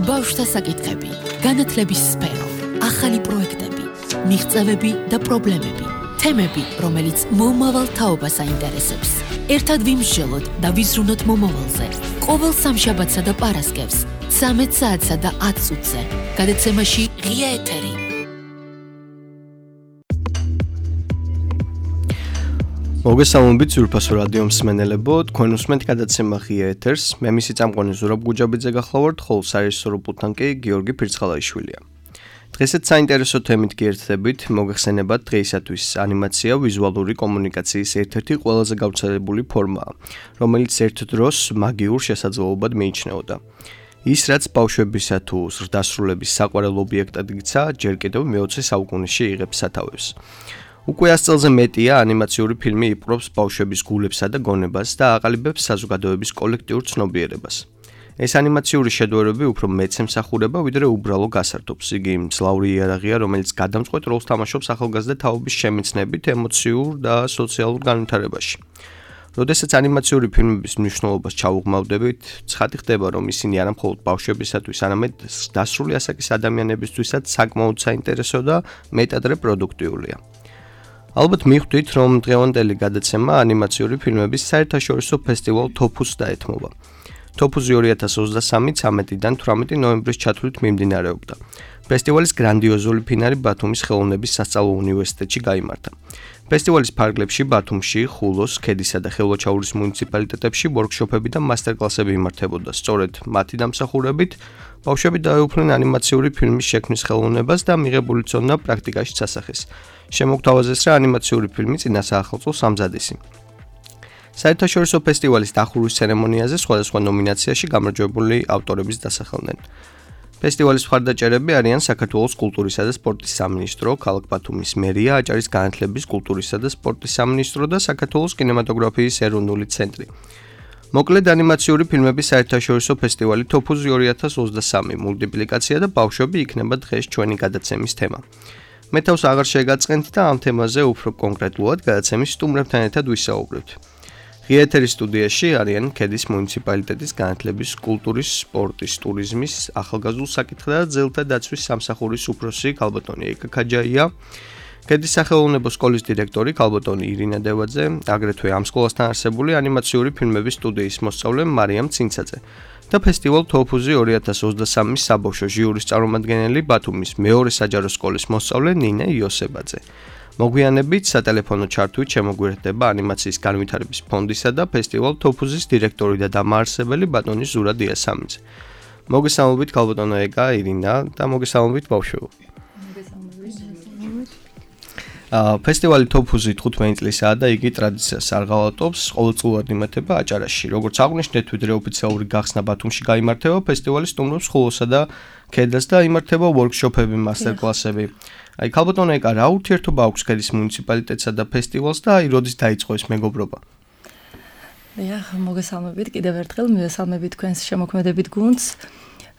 ბავშვთა საკითხები, განათლების სფერო, ახალი პროექტები, მიღწევები და პრობლემები, თემები, რომელიც მომავალ თაობას აინტერესებს. ერთად ვიმსჯელოთ და ვიზრუნოთ მომავალზე. ყოველ სამშაბათსა და პარასკევს 13 საათსა და 10 წუთზე. გადაცემაში ღია ეთერი. მოგესალმებით ძვირფასო რადიო მსმენელებო, თქვენ უსმენთ გადაცემა ღია ეთერს. მე მისი წამყვანი ზურაბ გუჯაბიძე გახლავართ, ხოლო საერთაშორისო პულტთან კი გიორგი ფირცხალაიშვილია. დღესაც საინტერესო თემით გიერთდებით, მოგეხსენებათ დღეისათვის ანიმაცია ვიზუალური კომუნიკაციის ერთ-ერთი ყველაზე გავრცელებული ფორმაა, რომელიც ერთ დროს მაგიურ შესაძლებლობად მიიჩნეოდა. ის, რაც ბავშვებისა თუ ზრდასრულების საყვარელ ობიექტად იქცა, ჯერ კიდევ მე-20 საუკუნეში იღებს სათავეს. უკვე 100 წელზე მეტია ანიმაციური ფილმი იპყრობს ბავშვების გულებსა და გონებას და აყალიბებს საზოგადოების კოლექტიურ ცნობიერებას. ეს ანიმაციური შედევრები უფრო მეც ემსახურება, ვიდრე უბრალო გასართობს. იგი მძლავრი იარაღია, რომელიც გადამწყვეტ როლს თამაშობს ახალგაზრდა თაობის შემეცნებით, ემოციურ და სოციალურ განვითარებაში. როდესაც ანიმაციური ფილმების მნიშვნელობას ჩაუღმავდებით, ცხადი ხდება, რომ ისინი არა მხოლოდ ბავშვებისათვის, არამედ დასრული ასაკის ადამიანებისთვისაც საკმაოდ საინტერესო და მეტადრე პროდუქტიულია. ალბათ მიხვდით, რომ დღევანდელი გადაცემა ანიმაციური ფილმების საერთაშორისო ფესტივალ TOPUS დაეთმობა. TOPUS-ი 2023 13-დან 18 ნოემბრის ჩათვლით მიმდინარეობდა. ფესტივალის გრანდიოზული ფინალი ბათუმის ხელოვნების სასწავლო უნივერსიტეტში გაიმართა. ფესტივალის ფარგლებში ბათუმში, ხულოს, ქედისა და ხელვაჩაურის მუნიციპალიტეტებში ვორქშოპები და მასტერკლასები იმართებოდა. სწორედ მათი დამსახურებით ბავშვები დაეუფლნენ ანიმაციური ფილმის შექმნის ხელოვნებას და მიღებული ცოდნა პრაქტიკაში წასახეს. შემოგთავაზეს, რა ანიმაციური ფილმი წინა საახალწლოს ამზადისი. საერთაშორისო ფესტივალის დახურვის ცერემონიაზე სხვადასხვა ნომინაციაში გამარჯვებული ავტორების დასახელდნენ. ფესტივალის მხარდაჭერები არიან საქართველოს კულტურისა და სპორტის სამინისტრო, ქალაქ ბათუმის მერია, აჭარის განათლების, კულტურისა და სპორტის სამინისტრო და საქართველოს კინემატოგრაფიის ეროვნული ცენტრი. მოკლედ ანიმაციური ფილმების საერთაშორისო ფესტივალი TOPUS 2023 მულტიპლიკაცია და ბავშვები იქნება დღეს ჩვენი გადაცემის თემა. მე თავს აღარ შეგაწყენთ და ამ თემაზე უფრო კონკრეტულად გადაცემის სტუმრებთან ერთად ვისაუბრებთ. ღია ეთერის სტუდიაში არიან ქედის მუნიციპალიტეტის განათლების, კულტურის, სპორტის, ტურიზმის, ახალგაზრდულ საკითხთა და ძელთა დაცვის სამსახურის უფროსი ქალბატონი ეკა ქაჯაია, ქედის სახელოვნებო სკოლის დირექტორი ქალბატონი ირინა დევაძე, აგრეთვე ამ სკოლასთან არსებული ანიმაციური ფილმების სტუდიის მოსწავლე მარიამ ცინცაძე და ფესტივალ TOPUS-ი 2023 საბავშვო ჟიურის წარმომადგენელი ბათუმის მეორე საჯარო სკოლის მოსწავლე ნინე იოსებაძე. მოგვიანებით სატელეფონო ჩართვით შემოგვიერთდება ანიმაციის განვითარების ფონდისა და ფესტივალ TOPUS-ის დირექტორი და დამაარსებელი ბატონი ზურა დიასამიძე. მოგესალმებით ქალბატონო ეკა, ირინა და მოგესალმებით ბავშვებო. ფესტივალი TOPUS-ი 15 წლისაა და იგი ტრადიციას არ ღალატობს, ყოველწლიურად იმართება აჭარაში. როგორც აღვნიშნეთ, ვიდრე ოფიციალური გახსნა ბათუმში გაიმართება, ფესტივალი სტუმრობს ხულოსა და ქედას და იმართება ვორქშოპები, მასტერკლასები. აი ქალბატონო ეკა, რა ურთიერთობა აქვს ქედის მუნიციპალიტეტსა და ფესტივალს და აი როდის დაიწყო ეს მეგობრობა? მოგესალმებით კიდევ ერთხელ, მივესალმებით თქვენს შემოქმედებით გუნდს.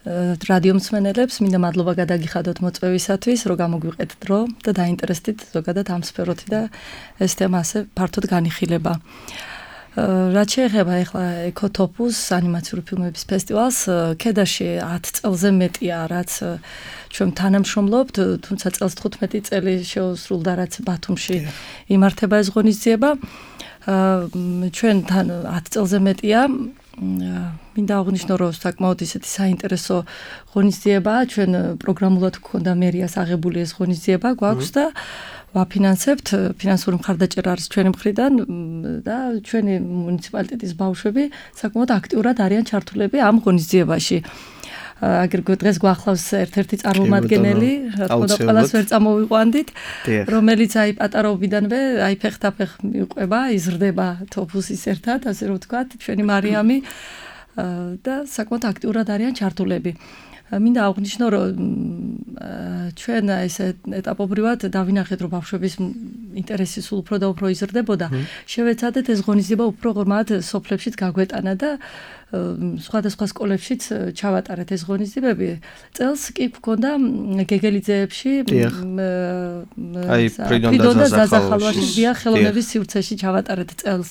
რადიო მსმენელებს, მინდა მადლობა გადაგიხადოთ მოწვევისათვის, რომ გამოგვიყეთ დრო და დაინტერესდით ზოგადად ამ სფეროთი და ეს თემა ასე ფართოდ განიხილება. რაც შეეხება ახლა TOPUS ანიმაციური ფილმების ფესტივალს, ქედაში 10 წელზე მეტია, რაც ჩვენ თანამშრომლობთ, თუმცა წელს 15 წელი შეუსრულდა, რაც ბათუმში იმართება ეს ღონისძიება. ჩვენ თან 10 წელზე მეტია. მინდა აღვნიშნო, რომ საკმაოდ ისეთი საინტერესო ღონისძიებაა, ჩვენ პროგრამულად გვქონდა მერიას აღებული ეს ღონისძიება გვაქვს და ვაფინანსებთ, ფინანსური მხარდაჭერა არის ჩვენი მხრიდან და ჩვენი მუნიციპალიტეტის ბავშვები საკმაოდ აქტიურად არიან ჩართულები ამ ღონისძიებაში. აგრეთვე დღეს გვახლავს ერთ-ერთი წარმომადგენელი, რა თქმა უნდა, ყველას ვერ წამოვიყვანდით, რომელიც აი პატარაობიდანვე აი ფეხთაფეხ მიყვება, იზრდება TOPUS-ის ერთად, ასე რომ ვთქვათ, ჩვენი მარიამი და საკმაოდ აქტიურად არიან ჩართულები. მინდა აღვნიშნო, რომ ჩვენ ესე ეტაპობრივად დავინახეთ, რომ ბავშვების ინტერესი სულ უფრო და უფრო იზრდებოდა. შევეცადეთ ეს ღონისძიება უფრო ღრმად სოფლებშიც გაგვეტანა და სხვადასხვა სკოლებშიც ჩავატარეთ ეს ღონისძიებები. წელს კი გვქონდა გეგელიძეებში ფრიდონ და ზაზახალვაში ხელოვნების სივრცეში ჩავატარეთ წელს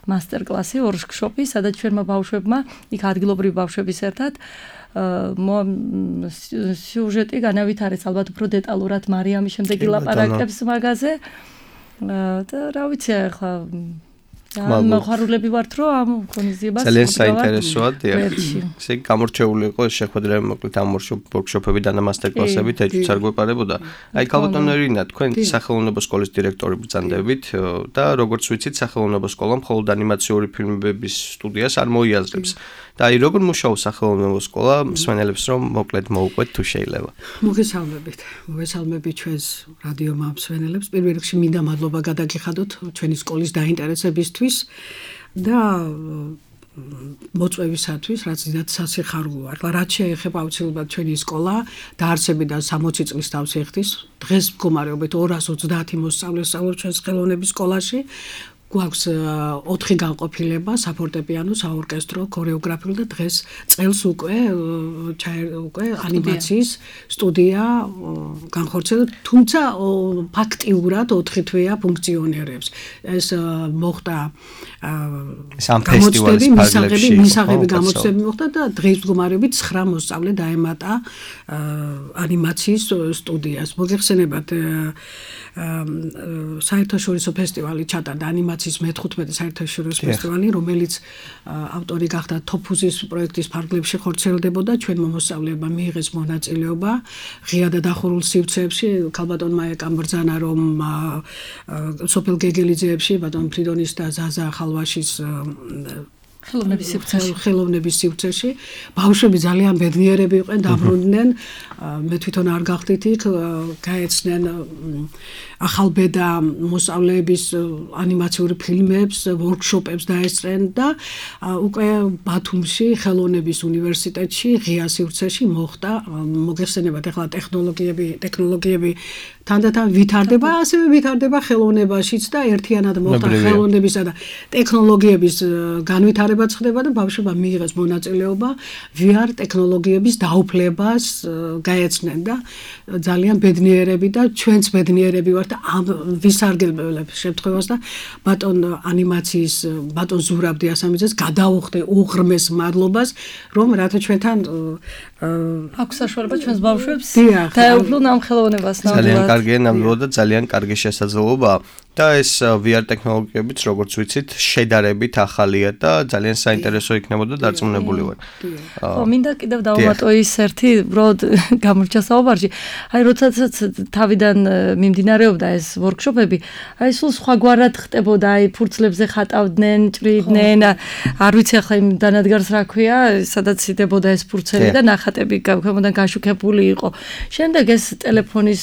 მასტერკლასი, ვორქშოპი, სადაც ჩვენმა ბავშვებმა, იქ ადგილობრივი ბავშვების ერთად სიუჟეტი განავითარეს ალბათ უფრო დეტალურად მარიამი შემდეგ ილაპარაკებს მაგაზე და რა ვიცი ახლა მოხარულები ვართ რომ ამ ღონისძიებას ძალიან საინტერესოა დიახ ესე გამორჩეული იყო შეხვედრები მოკლედ ამ ვორქშოპები და მასტერ კლასები ეჭვიც არ გვეპარებოდა აი ქალბატონო რინა თქვენ სახელმწიფო სკოლის დირექტორი ბრძანდებით და როგორც ვიცით სახელმწიფო სკოლა მხოლოდ ანიმაციური ფილმების სტუდიას არ მოიაზრებს და აი როგორ მუშაობს სახელმწიფო სკოლა მსმენელებს რომ მოკლედ მოუყვეთ თუ შეიძლება მოგესალმებით ჩვენს რადიო მსმენელებს პირველ რიგში მინდა მადლობა გადაგიხადოთ ჩვენი სკოლის დაინტერესებისთვის და მოწვევისათვის რაც დიდად სასიხარულოა. ახლა რაც შეეხება აუცილებლად ჩვენი სკოლა დაარსებიდან 60 წლის თავს ეხდის. დღეს მდგომარეობით 230 მოსწავლე სწავლობს ჩვენს ხელოვნების სკოლაში. გვაქვს 4 განყოფილება, საფორტეპიანო, საორკესტრო, ქორეოგრაფიული და დღეს წელს უკვე ანიმაციის სტუდია განხორციელდა, თუმცა ფაქტიურად 4 თვეა ფუნქციონირებს. ეს მოხდა სამ ფესტივალის ფარგლებში მისაღები გამოცდები მოხდა და დღეს მდგომარეობით 9 მოსწავლე დაემატა ანიმაციის სტუდიას. მოგეხსენებათ საერთაშორისო ფესტივალი ჩატარდა ანიმაციის მე-15 საერთაშორისო ფესტივალი, რომელიც ავტორი გახდა თოფუზის პროექტის ფარგლებში ხორციელდებოდა, ჩვენმა მოსწავლეებმა მიიღეს მონაწილეობა ღია და დახურულ სივრცეებში, ქალბატონმა ეკამბრძანა რომ სოფელ გეგელიძეებში, ბატონ ფრიდონის და ზაზა ხალვაშის ხელოვნების სივრცეში ბავშვები ძალიან ბედნიერები იყვნენ, დაბრუნდნენ, მე თვითონ არ გავხდით იქ, გაეცნენ ახალბედა მოსწავლეების ანიმაციური ფილმებს, ვორქშოპებს დაესწრნენ და უკვე ბათუმში ხელოვნების უნივერსიტეტში ღია სივრცეში მოხდა მოგეხსენებათ ახლა ტექნოლოგიები თანდათან ვითარდება, ასევე ვითარდება ხელოვნებაშიც და ერთიანად მოხდა ხელოვნებისა და ტექნოლოგიების განვითარებაც ხდება და ბავშვებმა მიიღეს მონაწილეობა VR ტექნოლოგიების დაუფლებას გაეცნენ და ძალიან ბედნიერები და ჩვენც ბედნიერები ვართ ამ ვისარგებლებ შემთხვევას და ბატონ ანიმაციის ბატონ ზურაბ დიასამიძეს გადაუხდე უღრმეს მადლობას რომ რათა ჩვენთან აქვს საშუალება ჩვენს ბავშვებს დაეუფლონ ამ ხელოვნებას ძალიან კარგია ნამდვილად და ძალიან კარგი შესაძლებლობაა და ეს VR ტექნოლოგიებიც როგორც ვიცით შედარებით ახალია და ძალიან საინტერესო იქნებოდა დარწმუნებული ვარ. ხო, მინდა კიდევ დავუმატო ის ერთი უბრალოდ გამორჩა საუბარში. აი როდესაც თავიდან მიმდინარეობდა ეს ვორქშოპები, აი სულ სხვაგვარად ხდებოდა, აი ფურცლებზე ხატავდნენ, ჭრიდნენ, არ ვიცი ახლა იმ დანადგარს რა ქვია, სადაც იდებოდა ეს ფურცელი და ნახატები ქვემოდან გაშუქებული იყო. შემდეგ ეს ტელეფონის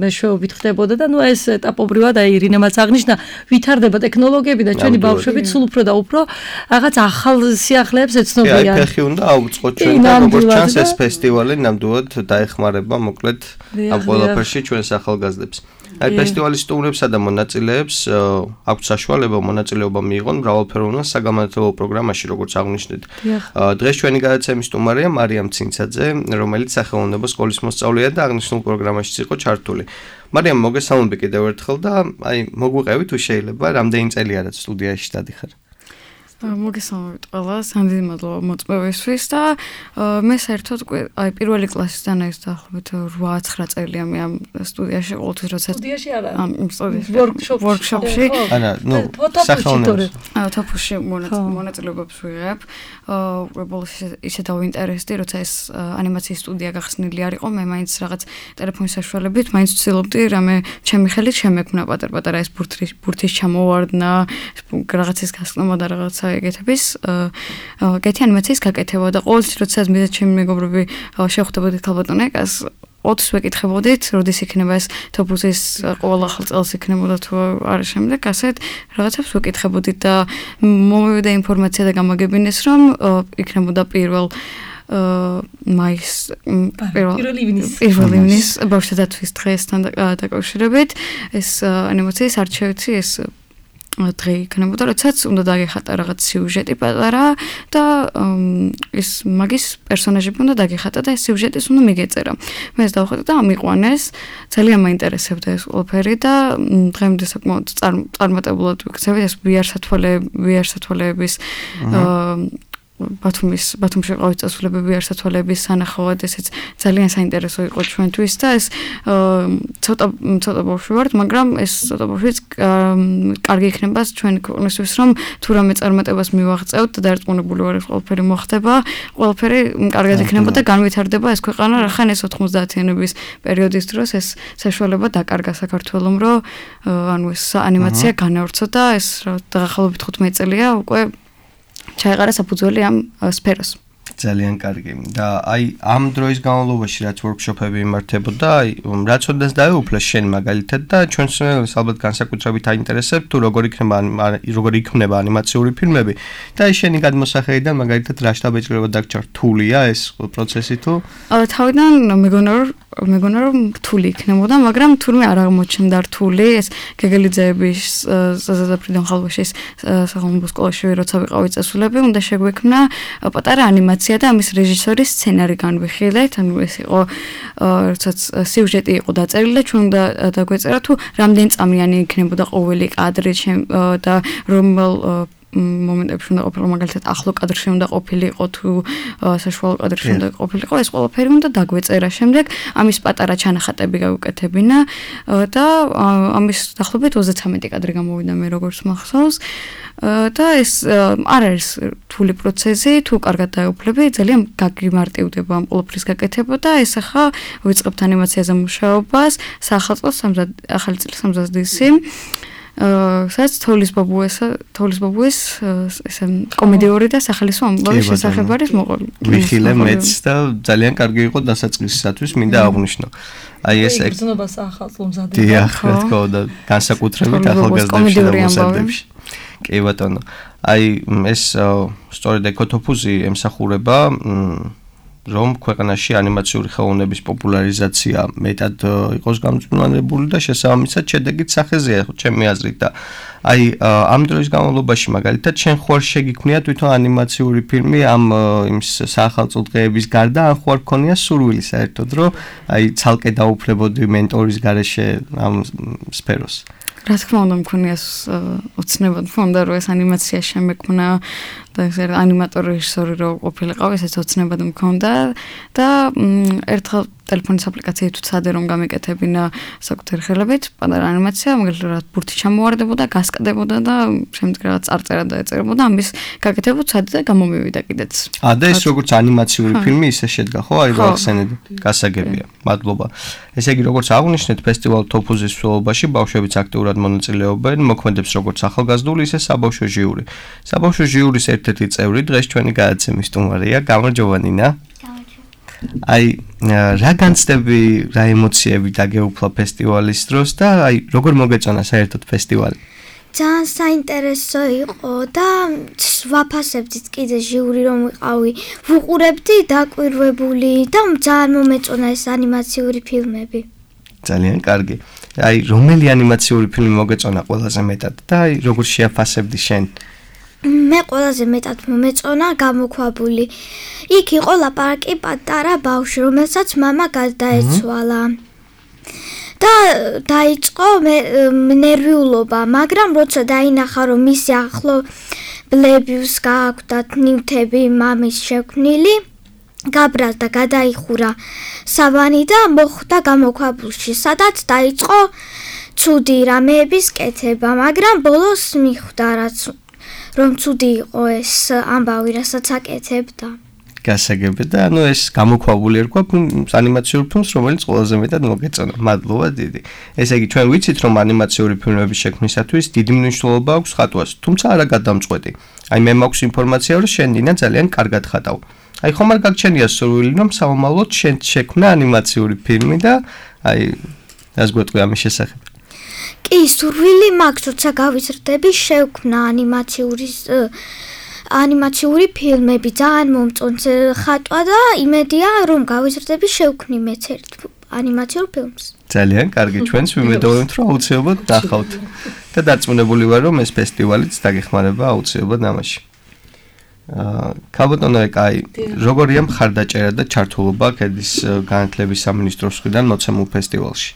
მეშვეობით ხდებოდა და ნუ ეს ეტაპობრივად აი ირინემაც აღნიშნა, ვითარდება ტექნოლოგიები და ჩვენი ბავშვები სულ უფრო და უფრო რაღაც ახალ სიახლეებს ეცნობიან. აი ფეხი უნდა აუწყოთ ჩვენთან როგორც ჩანს ეს ფესტივალი ნამდვილად დაეხმარება მოკლედ ამ ყველაფერში ჩვენს ახალგაზრდებს. აი ფესტივალის სტუმრებსა და მონაწილეებს აქვთ საშუალება მონაწილეობა მიიღონ მრავალფეროვან საგამართლებო პროგრამაში როგორც აღნიშნეთ. დღეს ჩვენი გადაცემის სტუმარია მარიამ ცინცაძე, რომელიც სახელმწიფო სკოლის მოსწავლეა და აღნიშნულ პროგრამაშიც იყო ჩართული. მარიამ მოგესალმები კიდევ ერთხელ და აი მოგვიყევი თუ შეიძლება რამდენი წელია რაც სტუდიაში დადიხარ. მოგესალმებით ყველას, სამდიდი მადლობა მოწვევისთვის და მე საერთოდ აი პირველი კლასიდან ეს დაახლოებით 8-9 წელია მე ამ სტუდიაში ყოველთვის როცა სტუდიაში არა ამ ვორქშოპში ანა ნუ სახელმწიფო თოფუში მონაწილეობებს ვიღებ ბოლოს ისე დავინტერესდი როცა ეს ანიმაციის სტუდია გახსნილი არ იყო მე მაინც რაღაც ტელეფონის საშუალებით მაინც ვცდილობდი რამე ჩემი ხელით შემექმნა პატარ-პატარა ეს ბურთის ჩამოვარდნა რაღაცის გასწრომა და რაღაცა ეგეთების კეთი ანიმაციის გაკეთება და ყოველთვის როდესაც მე და ჩემი მეგობრები შევხვდებოდით ქალბატონეკას ოთხს ვეკითხებოდით როდის იქნება ეს თოფუზის ყოველ ახალ წელს იქნებოდა თუ არა შემდეგ ასეთ რაღაცებს ვეკითხებოდით და მომივიდა ინფორმაცია და გამაგებინეს რომ იქნებოდა პირველ პირველ ივნის ბავშვთა დაცვის დღესთან დაკავშირებით ეს ანიმაციის არჩევიცი ეს დღე იქნებოდა, როდესაც უნდა დაგეხატა რაღაც სიუჟეტი პატარა და ეს მაგის პერსონაჟები უნდა დაგეხატა და ეს სიუჟეტის უნდა მიგეწერა. მე ეს დავხატე და ამიყვანეს, ძალიან მაინტერესებდა ეს ყველაფერი და დღემდე საკმაოდ წარმატებულად ვიქცევით ეს VR სათვალეების ბათუმში ყავით წასვლებები არსათვალების სანახავად ესეც ძალიან საინტერესო იყო ჩვენთვის და ეს ცოტა ბავშვი ვართ, მაგრამ ეს ცოტა ბავშვიც კარგი იქნება ჩვენი ქვეყნისთვის, რომ თუ რამე წარმატებას მივაღწევთ და დარწმუნებული ვარ, ყველაფერი მოხდება, ყველაფერი კარგად იქნება და განვითარდება ეს ქვეყანა, რახან ეს 90-იანების პერიოდის დროს ეს საშუალება დაკარგა საქართველომ, რომ ანუ ეს ანიმაცია განავრცო და ეს დაღახალობით 15 წელია უკვე ჩაეყარა საფუძველი ამ სფეროს. ძალიან კარგი. და აი ამ დროის განმავლობაში რაც ვორქშოპები იმართებოდა, აი რაც ოდნავ დაეუფლა შენ მაგალითად და ჩვენს ალბათ განსაკუთრებით აინტერესებს თუ როგორ იქნება ანიმაციური ფილმები და აი შენი გადმოსახედიდან მაგალითად რა შტაბეჭრება დაგჭირ რთულია ეს პროცესი თუ? თავიდან მეგონა რომ რთული იქნებოდა, მაგრამ თურმე არ აღმოჩნდა რთული. ეს გეგელიძეების ზაზაფრიდან ხალხაშის სახელმწიფო სკოლაში როცა ვიყავი წასულები, უნდა შეგვექმნა პატარა ანიმაცია და ამის რეჟისორის სცენარი განვიხილეთ. ანუ ეს იყო როდესაც სიუჟეტი იყო დაწერილი და ჩვენ უნდა დაგვეწერა თუ რამდენი წამიანი იქნებოდა ყოველი კადრი და რომელ მომენტებში უნდა ყოფილიყო, მაგალითად ახლო კადრში უნდა ყოფილიყო თუ საშუალო კადრში უნდა ყოფილიყო, ეს ყველაფერი უნდა დაგვეწერა. შემდეგ ამის პატარა ჩანახატები გავუკეთებინა და ამის დაახლოებით 33 კადრი გამოვიდა მე როგორც მახსოვს. და ეს არ არის რთული პროცესი, თუ კარგად დაეუფლები, ძალიან გაგიმარტივდება ამ ყველაფრის გაკეთება და ეს ახლა ვიწყებთ ანიმაციაზე მუშაობას სახალხო ახალი წლის 70 დისი. სადაც თოვლის ბაბუეს ესე კომედიური და სახალისო ამბავი შესახებ არის მოყოლი. ვიხილე მეც და ძალიან კარგი იყო დასაწყისისათვის მინდა აღვნიშნო. აი ეს ეგზნობა სახალხო მზადდება. დიახ, რა თქმა უნდა, განსაკუთრებით ახალგაზრდებში და მოსახლეებში. კი ბატონო. აი ეს სწორედ ეკოთოფუზი ემსახურება რომ ქვეყანაში ანიმაციური ხელოვნების პოპულარიზაცია მეტად იყოს გამწვანებული და შესაბამისად შედეგით სახეზეა ჩემი აზრით და აი ამ დროის განმავლობაში მაგალითად შენ ხوار შეგიქმნია თვითონ ანიმაციური ფილმი ამ იმ საახალწლო დღეების გარდა ან ხوار ქონია სურვილი საერთოდ რომ აი ცალკე დაუფლებოდი მენტორის გარეშე ამ სფეროს? რა თქმა უნდა მქონია ოცნებად მქონდა რომ ეს ანიმაცია შემექმნა და ეს ანიმატორი რეჟისორი რო ყოფილიყავ ესეც ოცნებად მქონდა და ერთხელ ტელეფონის აპლიკაციით ვცადე რომ გამეკეთებინა საკუთარი ხელებით პატარა ანიმაცია, მაგალითად ბურთი ჩამოვარდებოდა, გასკდებოდა და შემდეგ რაღაც წარწერა დაეწერებოდა, ამის გაკეთება ვცადე და გამომივიდა კიდეც. და ეს როგორც ანიმაციური ფილმი ისე შედგა, ხო? აი გავახსენეთ. გასაგებია. მადლობა. ესე იგი როგორც აღნიშნეთ, ფესტივალ თოფუზის მსვლელობაში ბავშვებიც აქტიურად მონაწილეობენ, მოქმედებს როგორც ახალგაზრდული, ისე საბავშვო ჟიური. საბავშვო ჟიურის ერთ-ერთი წევრი დღეს ჩვენი გადაცემის სტუმარია, გამარჯობა ნინა. აი რა განცდები, რა ემოციები დაგეუფლა ფესტივალის დროს და აი როგორ მოგეწონა საერთოდ ფესტივალი? ძალიან საინტერესო იყო და ვაფასებდით კიდე ჟიური რომ ვიყავი, ვუყურებდი დაკვირვებული და ძალიან მომეწონა ეს ანიმაციური ფილმები. ძალიან კარგი. აი რომელი ანიმაციური ფილმი მოგეწონა ყველაზე მეტად და აი როგორ შეაფასებდი შენ? მე ყველაზე მეტად მომეწონა გამოქვაბული. იქ იყო ლაპარაკი პატარა ბავშვი, რომელსაც მამა გადაეცვალა. და დაიწყო ნერვიულობა, მაგრამ როცა დაინახა რომ მისი ახლობლებს გააქვთ ნივთები მამის შექმნილი, გაბრალ და გადაიხურა სავანი და მოხვდა გამოქვაბულში, სადაც დაიწყო ცუდი რამეების კეთება, მაგრამ ბოლოს მიხვდა რომ ცუდი იყო ეს ამბავი, რასაც აკეთებდა. გასაგები და ანუ ეს გამოქვაბული ერქვა ანიმაციურ ფილმს, რომელიც ყველაზე მეტად მოგეწონა. მადლობა დიდი. ესე იგი ჩვენ ვიცით რომ ანიმაციური ფილმების შექმნისათვის დიდი მნიშვნელობა აქვს ხატვას, თუმცა არა გადამწყვეტი. აი მე მაქვს ინფორმაცია რომ შენ დინა ძალიან კარგად ხატავ. აი ხომ არ გაგჩენია სურვილი რომ სამომავლოდ შენ შექმნა ანიმაციური ფილმი და აი რას გვეტყვი ამის შესახებ? კი, სურვილი მაქვს, როცა გავიზრდები, შევქმნა ანიმაციური ფილმები, ძალიან მომწონს ხატვა და იმედია რომ გავიზრდები შევქმნი მეც ერთ ანიმაციურ ფილმს. ძალიან კარგი, ჩვენს ვიმედოვებთ რომ აუცილებლად დახავთ და დარწმუნებული ვარ რომ ეს ფესტივალიც დაგეხმარება აუცილებლად ამაში. ქალბატონო ეკაი, როგორია მხარდაჭერა და ჩართულობა ქედის განათლების სამინისტროს მხრიდან მოცემულ ფესტივალში?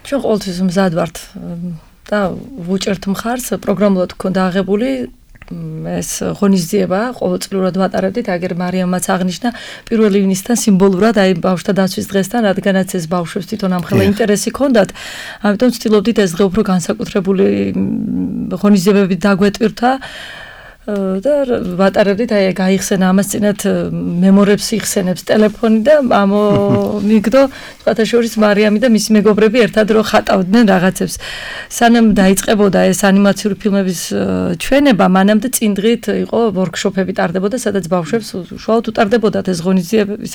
ჩვენ ყოველთვის მზად ვართ და ვუჭერთ მხარს, პროგრამულად გქონდა აღებული ეს ღონისძიება ყოველწლიურად ვატარებდით, აგერ მარიამაც აღნიშნა 1 ივნისთან სიმბოლურად, აი ბავშვთა დაცვის დღესთან, რადგანაც ეს ბავშვებს თვითონ ამხელა ინტერესი ჰქონდათ, ამიტომ ვცდილობდით ეს დღე უფრო განსაკუთრებული ღონისძიებებით დაგვეტვირთა და ვატარებდით, აი გაიხსენა ამას წინათ მემორებს იხსენებს ტელეფონი და ამომიგდო სხვათა შორის მარიამი და მისი მეგობრები ერთად რო ხატავდნენ რაღაცებს. სანამ დაიწყებოდა ეს ანიმაციური ფილმების ჩვენება, მანამდე წინ დღით იყო ვორქშოპები ტარდებოდა, სადაც ბავშვებს უშუალოდ უტარდებოდათ ეს ღონისძიებები,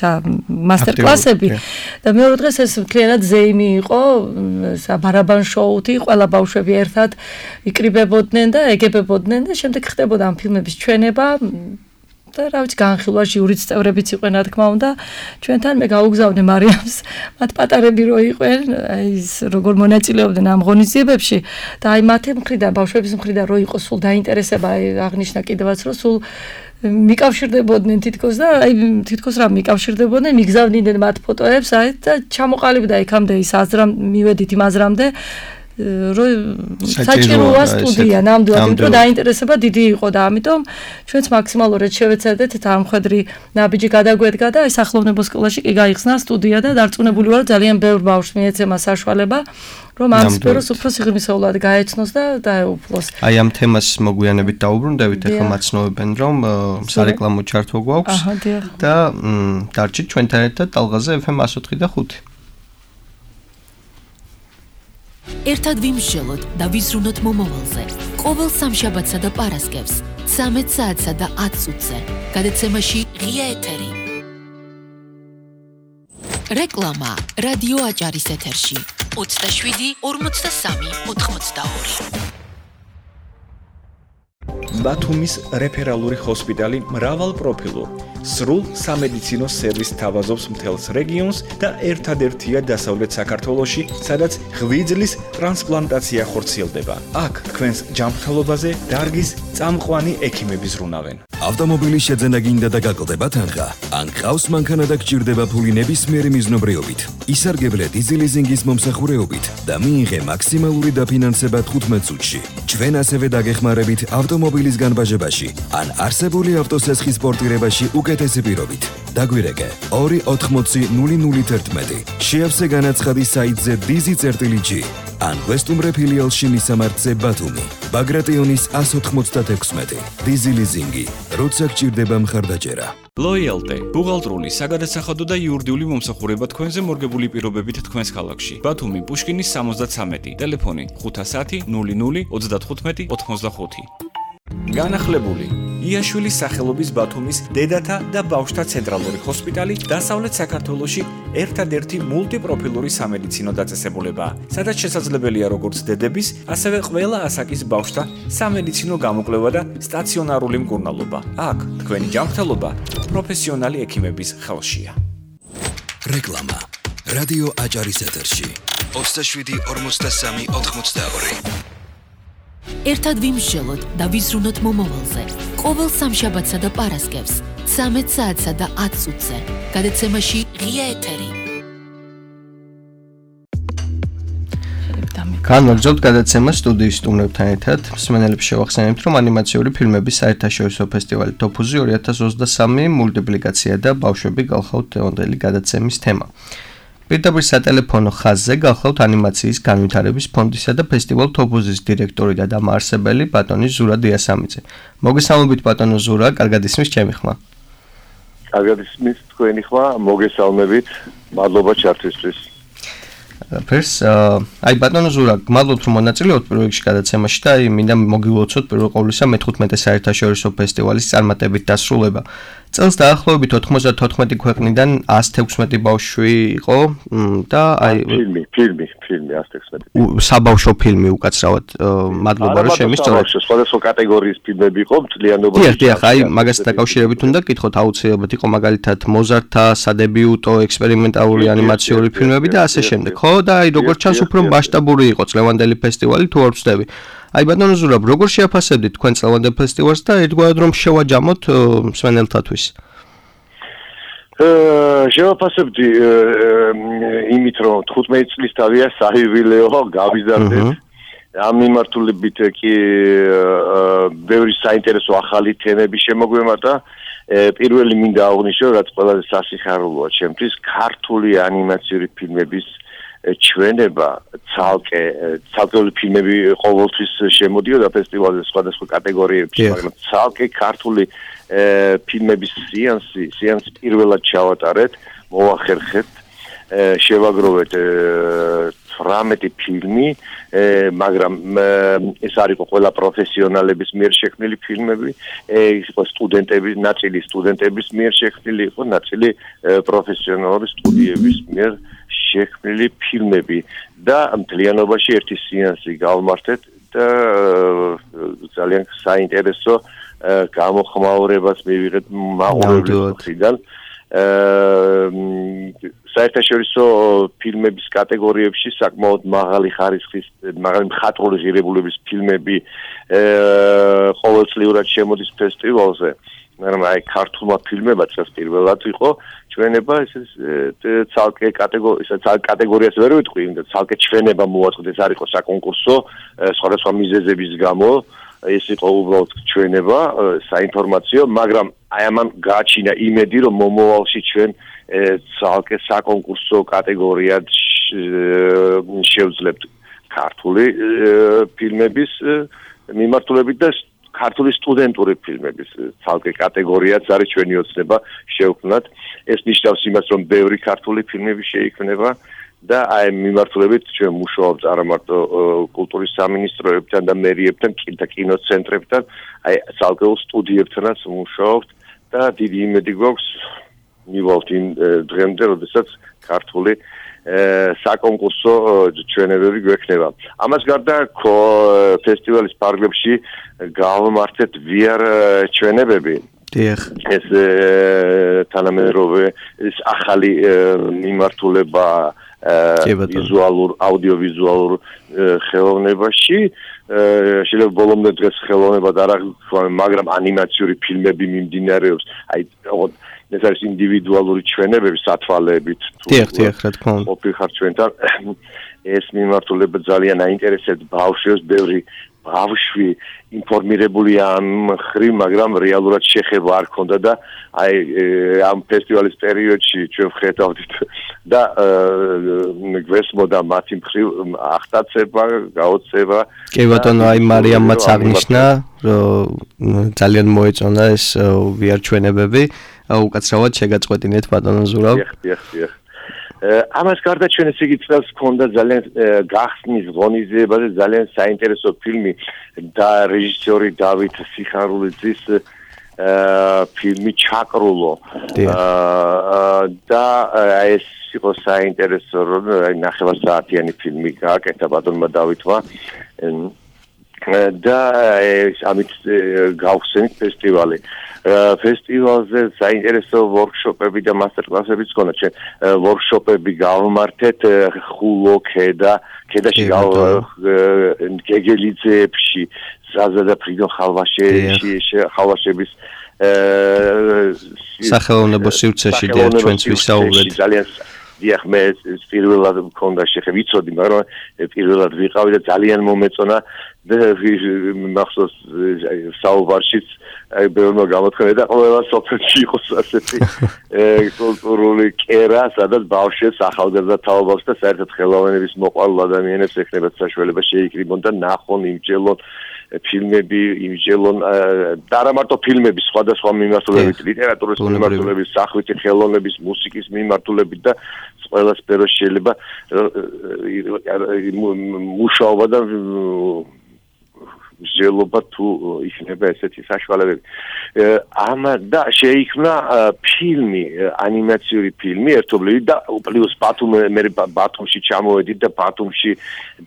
მასტერ-კლასები და მეორე დღეს ეს მთლიანად ზეიმი იყო, ბარაბან შოუთი, ყველა ბავშვები ერთად იკრიბებოდნენ და ეგებებოდნენ და შემდეგ ხდებოდა ამ ფილმების ჩვენება და რა ვიცი განხილვა ჟიურის წევრებიც იყვნენ რა თქმა უნდა ჩვენთან მე გაუგზავნე მარიამს მათ პატარები რო იყვნენ აი ის როგორ მონაწილეობდნენ ამ ღონისძიებებში და აი მათი მხრიდან ბავშვების მხრიდან რო იყო სულ დაინტერესება აი აღნიშნა კიდევაც რომ სულ მიკავშირდებოდნენ თითქოს და აი თითქოს რა მიკავშირდებოდნენ მიგზავნიდნენ მათ ფოტოებს აი და ჩამოყალიბდა იქამდე ის აზრამ მივედით იმ აზრამდე საჭიროა სტუდია ნამდვილად იმიტომ რომ დაინტერესება დიდი იყო და ამიტომ ჩვენც მაქსიმალურად შევეცადეთ დამხვედრი ნაბიჯი გადაგვედგა და აი სახელმწიფო სკოლაში კი გაიხსნა სტუდია და დარწმუნებული ვარ ძალიან ბევრ ბავშვს მიეცემა საშუალება რომ ამ სფეროს უფრო სიღრმისეულად გაეცნოს და დაეუფლოს. აი ამ თემას მოგვიანებით დაუბრუნდებით, ახლა მაცნობენ რომ სარეკლამო ჩართვა გვაქვს და დარჩით ჩვენთან ერთად ტალღაზე FM 104 და 5. ერთად ვიმსჯელოთ და ვიზრუნოთ მომავალზე. ყოველ სამშაბათსა და პარასკევს 13 საათსა და 10 წუთზე. გადაცემაში ღია ეთერი. რეკლამა რადიო აჭარის ეთერში 27 43 82. ბათუმის რეფერალური ჰოსპიტალი მრავალპროფილურ სრულ სამედიცინო სერვისს თავაზობს მთელს რეგიონს და ერთადერთია დასავლეთ საქართველოში, სადაც ღვიძლის ტრანსპლანტაცია ხორციელდება. აქ თქვენს ჯანმრთელობაზე დარგის წამყვანი ექიმები ზრუნავენ. ავტომობილის შეძენა გინდა და გაკლდება თანხა. ან ყავს მანქანა და გჭირდება ფული ნებისმიერი მიზნობრიობით. ისარგებლე დიზელიზინგის მომსახურეობით და მიიღე მაქსიმალური დაფინანსება 15 წუთში. ჩვენ ასევე დაგეხმარებით ავტომობილის განბაჟებაში ან არსებული ავტოსესხის პორტირებაში უკეთესი პირობით. დაგვირეკე 280 შეავსე განაცხადი საიტზე dizi.g ან ვესტუმრე ფილიალში მისამართზე ბათუმი. ბაგრატიონის 196 დიზელიზინგი. როცა გჭირდება მხარდაჭერა. Loyalty, ბუღალტრული, საგადასახადო და იურიდიული მომსახურება თქვენზე მორგებული პირობებით თქვენს ქალაქში. ბათუმი, პუშკინის 73, ტელეფონი 510 00 35 85. განახლებული იაშვილის სახელობის ბათუმის დედათა და ბავშვთა ცენტრალური ჰოსპიტალი დასავლეთ საქართველოში ერთადერთი მულტიპროფილური სამედიცინო დაწესებულებაა, სადაც შესაძლებელია როგორც დედების, ასევე ყველა ასაკის ბავშვთა სამედიცინო გამოკვლევა და სტაციონარული მკურნალობა. აქ თქვენი ჯანმრთელობა პროფესიონალი ექიმების ხელშია. რეკლამა რადიო აჭარის ეთერში 27 43 82. ერთად ვიმსჯელოთ და ვიზრუნოთ მომავალზე. ყოველ სამშაბათსა და პარასკევს 13 საათსა და 10 წუთზე. გადაცემაში ღია ეთერი. განვაგრძობთ გადაცემას სტუდიის სტუმრებთან ერთად. მსმენელებს შევახსენებთ, რომ ანიმაციური ფილმების საერთაშორისო ფესტივალი TOPUZI 2023 მულტიპლიკაცია და ბავშვები გახლავთ დღევანდელი გადაცემის თემა. პირდაპირ სატელეფონო ხაზზე გახლავთ ანიმაციის განვითარების ფონდისა და ფესტივალ TOPUZI-ის დირექტორი და დამაარსებელი ბატონი ზურა დიასამიძე. მოგესალმებით ბატონო ზურა, კარგად ისმის ჩემი ხმა. კარგად ისმის თქვენი ხმა, მოგესალმებით. მადლობა ჩართვისთვის. ფერს, აი ბატონო ზურა, გმადლობთ რომ მონაწილეობთ პირველ რიგში გადაცემაში და აი მინდა მოგილოცოთ პირველ ყოვლისა მე-15 საერთაშორისო ფესტივალის წარმატებით დასრულება. წელს დაახლოებით 94 ქვეყნიდან 116 ბავშვი იყო და აი ფილმი 116. საბავშვო ფილმი უკაცრავად. მადლობა რომ შემისწორეთ. სხვადასხვა კატეგორიის ფილმები იყო მთლიანობაში. დიახ, აი მაგასთან დაკავშირებით უნდა გითხოთ აუცილებლად იყო მაგალითად მოზართა სადებიუტო ექსპერიმენტალური ანიმაციური ფილმები და ასე შემდეგ. ხო და აი როგორც ჩანს უფრო მასშტაბური იყო წლევანდელი ფესტივალი თუ არ ვწდები. აი ბატონო ზურაბ, როგორ შეაფასებდით თქვენ წლევანდელ ფესტივალს და ერთგვარად რომ შევაჯამოთ მსმენელთათვის? შევაფასებდი იმით რომ 15 წლის თავია საიუბილეო გავიზარდეთ ამ მიმართულებით კი ბევრი საინტერესო ახალი თემები შემოგვემართა. პირველი მინდა აღვნიშნო, რაც ყველაზე სასიხარულოა ჩემთვის, ქართული ანიმაციური ფილმების ჩვენება ცალკეული ფილმები ყოველთვის შემოდიოდა ფესტივალზე სხვადასხვა კატეგორიებში, მაგრამ ცალკე ქართული ფილმების სეანსი პირველად ჩავატარეთ, მოვახერხეთ, შევაგროვეთ 18 ფილმი, მაგრამ ეს არ იყო ყველა პროფესიონალების მიერ შექმნილი ფილმები, იყო ნაწილი სტუდენტების მიერ შექმნილი, იყო ნაწილი პროფესიონალური სტუდიების მიერ შექმნილი ფილმები და მთლიანობაში ერთი სეანსი გავმართეთ და ძალიან საინტერესო გამოხმაურებას მივიღეთ მაყურებლის მხრიდან. საერთაშორისო ფილმების კატეგორიებში საკმაოდ მაღალი ხარისხის, მაღალი მხატვრული ღირებულების ფილმები ყოველწლიურად შემოდის ფესტივალზე, მაგრამ აი ქართულმა ფილმებად პირველად იყო ჩვენება, ცალკე კატეგორიას ვერ ვიტყვი, ცალკე ჩვენება მოაწყდეს, არ იყო საკონკურსო სხვადასხვა მიზეზების გამო, ეს იყო უბრალოდ ჩვენება, საინფორმაციო, მაგრამ აი ამან გააჩინა იმედი, რომ მომავალში ჩვენ ცალკე საკონკურსო კატეგორიად შევძლებთ ქართული ფილმების მიმართულებით და ქართული სტუდენტური ფილმების ცალკე კატეგორიაც არის ჩვენი ოცნება შევქმნათ. ეს ნიშნავს იმას, რომ ბევრი ქართული ფილმები შეიქმნება და აი მიმართულებით ჩვენ მუშაობთ არა მარტო კულტურის სამინისტროებთან და მერიებთან და კინოცენტრებთან, აი ცალკეულ სტუდიებთანაც მუშაობთ და დიდი იმედი გვაქვს მივალთ იმ დღემდე, როდესაც ქართული საკონკურსო ჩვენებები გვექნება. ამას გარდა ფესტივალის ფარგლებში გავმართეთ VR ჩვენებები. ეს თანამედროვე ეს ახალი მიმართულება აუდიოვიზუალურ ხელოვნებაში შეიძლება ბოლომდე დღეს ხელოვნებად არ აღიქვა, მაგრამ ანიმაციური ფილმები მიმდინარეობს. აი ეს არის ინდივიდუალური ჩვენებები სათვალეებით რა თქმა უნდა. ყოფილხარ ჩვენთან ეს მიმართულება ძალიან აინტერესებს ბავშვებს, ბევრი ბავშვი ინფორმირებულია ამ ხრივ, მაგრამ რეალურად შეხება არ ქონდა და აი ამ ფესტივალის პერიოდში ჩვენ ვხედავდით და გვესმოდა მათი მხრივ აღტაცება, გაოცება. კი ბატონო, აი მარიამმაც აღნიშნა, რომ ძალიან მოეწონა ეს VR ჩვენებები. უკაცრავად შეგაწყვეტინეთ ბატონო ზურავ. დიახ. ამას გარდა ჩვენ ესე იგი წელს ჰქონდა ძალიან გახსნის ღონისძიებაზე ძალიან საინტერესო ფილმი და რეჟისორი დავით სიხარულიძის ფილმი ჩაკრულო და ეს იყო საინტერესო, რომ ნახევარსაათიანი ფილმი გააკეთა ბატონმა დავითმა და ამით გავხსენით ფესტივალი. ფესტივალზე საინტერესო ვორქშოპები და მასტერკლასებიც ჰქონდა. ჩვენ ვორქშოპები გავმართეთ ხულო ქედაში გეგელიძეებში, ზაზა და ფრიდონ ხალვაშების სახელოვნებო სივრცეში ჩვენც ვისაუბრეთ. ძალიან დიახ, მე პირველად მქონდა შეხება, ვიცოდი, მაგრამ პირველად ვიყავი და ძალიან მომეწონა და მახსოვს საუბარშიც აი ბევრმა გამოთქმედა და ყველა სოფელში იყოს ასეთი კულტურული კერა, სადაც ბავშვებს, ახალგაზრდა თაობებს და საერთოდ ხელოვნების მოყვარულ ადამიანებს ექნებათ საშუალება შეიკრიბონ და ნახონ, იმჯელონ ფილმები, იმჯელონ და არა მარტო ფილმები, სხვადასხვა მიმართულებით, ლიტერატურის მიმართულებით, სახვითი ხელოვნების, მუსიკის მიმართულებით და ყველა სფეროში შეიძლება მუშაობა და მსჯელობა თუ იქნება ესეთი საშუალებები. და შეიქმნა ფილმი, ანიმაციური ფილმი ერთობლივი და პლუს მე ბათუმში ჩამოვედით და ბათუმში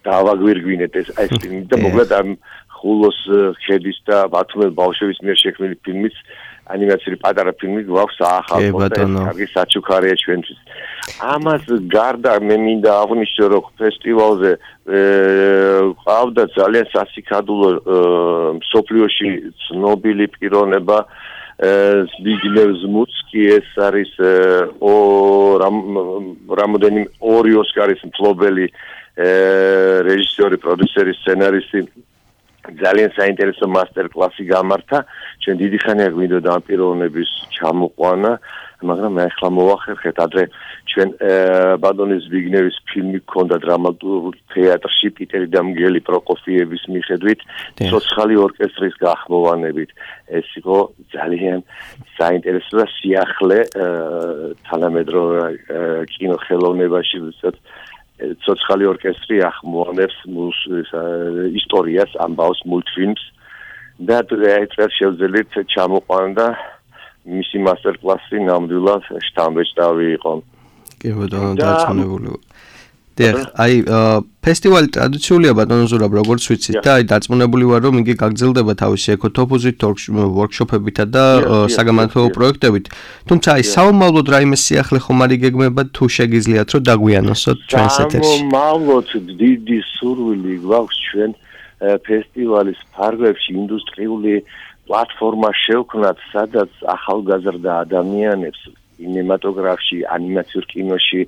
დავაგვირგვინეთ ეს ფილმი და მოკლედ ამ ხულოს ქედის და ბათუმელ ბავშვების მიერ შექმნილი ფილმის ანიმაციური პატარა ფილმი გვაქვს ახალ და კარგი საჩუქარია ჩვენთვის. ამას გარდა მე მინდა აღვნიშნო, რომ ფესტივალზე ყავდა ძალიან სასიკადულო მსოფლიოში ცნობილი პიროვნება ზბიგნევ ზმუცკი, ეს არის 2 ოსკარის მფლობელი რეჟისორი, პროდიუსერი, სცენარისტი ძალიან საინტერესო მასტერ-კლასი გამართა. ჩვენ დიდი ხანია გვინდოდა ამ პიროვნების ჩამოყვანა, მაგრამ მე ახლა მოვახერხეთ ადრე ჩვენ ბატონი ზბიგნევის ფილმი გქონდა დრამატურგ თეატრში პიტერი და მგელი პროკოფიევის მიხედვით ცოცხალი ორკესტრის გახმოვანებით. ეს იყო ძალიან საინტერესო და სიახლე თანამედროვე კინოხელოვნებაში, ვისაც ცოცხალი ორკესტრი ახმოვანებს ისტორიას, ამბავს მულტფილმს და ეს შეუძლიათ ჩამოყვანა მისი მასტერ-კლასი ნამდვილად შთამბეჭდავი იყო. კი ბატონო, დარწმუნებული ვარ. დიახ, აი ფესტივალი ტრადიციულია ბატონო ზურაბ, როგორც ვიცით და აი დარწმუნებული ვარ, რომ იგი გაგრძელდება თავისი ეკოთოპოზით ვორქშოპებითა და საგამართლებო პროექტებით. თუმცა აი საომავლოდ რაიმე სიახლე ხომ არ იგეგმება თუ შეგიძლიათ რომ დაგვიანოსოთ ჩვენს ეთერში. საომავლოდ დიდი სურვილი გვაქვს ჩვენ ფესტივალის ფარგლებში ინდუსტრიული პლატფორმა შევქმნათ, სადაც ახალგაზრდა ადამიანებს კინემატოგრაფში, ანიმაციურ კინოში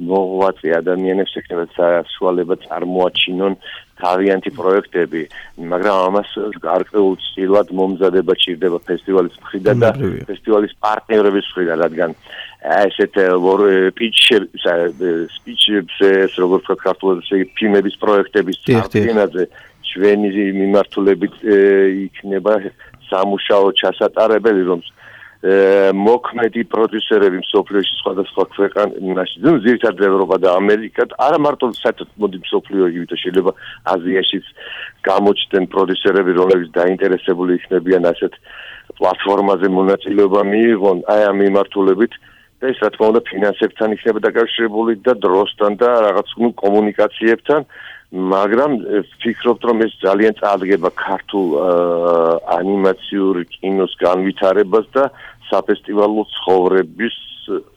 მოღვაწე ადამიანებს ექნებათ საშუალება წარმოაჩინონ თავიანთი პროექტები, მაგრამ ამას გარკვეულწილად მომზადება ჭირდება ფესტივალის მხრიდან და ფესტივალის პარტნიორების მხრიდან, რადგან ესეთ სპიჩებს, როგორც ქართულად ფილმების პროექტების წარდგენაზე ჩვენი მიმართულებით იქნება სამუშაო ჩასატარებელი, რომ მოქმედი პროდიუსერები მსოფლიოში სხვადასხვა ქვეყანაში, ძირითადად ევროპა და ამერიკა, არა მარტო საერთოდ მოდი მსოფლიო, იგივე შეიძლება აზიაშიც გამოჩნდნენ პროდიუსერები, რომლებიც დაინტერესებული იქნებიან ასეთ პლატფორმაზე მონაწილეობა მიიღონ, აი ამ მიმართულებით და ეს რა თქმა უნდა ფინანსებთან იქნება დაკავშირებული და დროსთან და რაღაც კომუნიკაციებთან, მაგრამ ვფიქრობთ, რომ ეს ძალიან წარდგება ქართულ ანიმაციურ კინოს განვითარებას და საფესტივალო ცხოვრების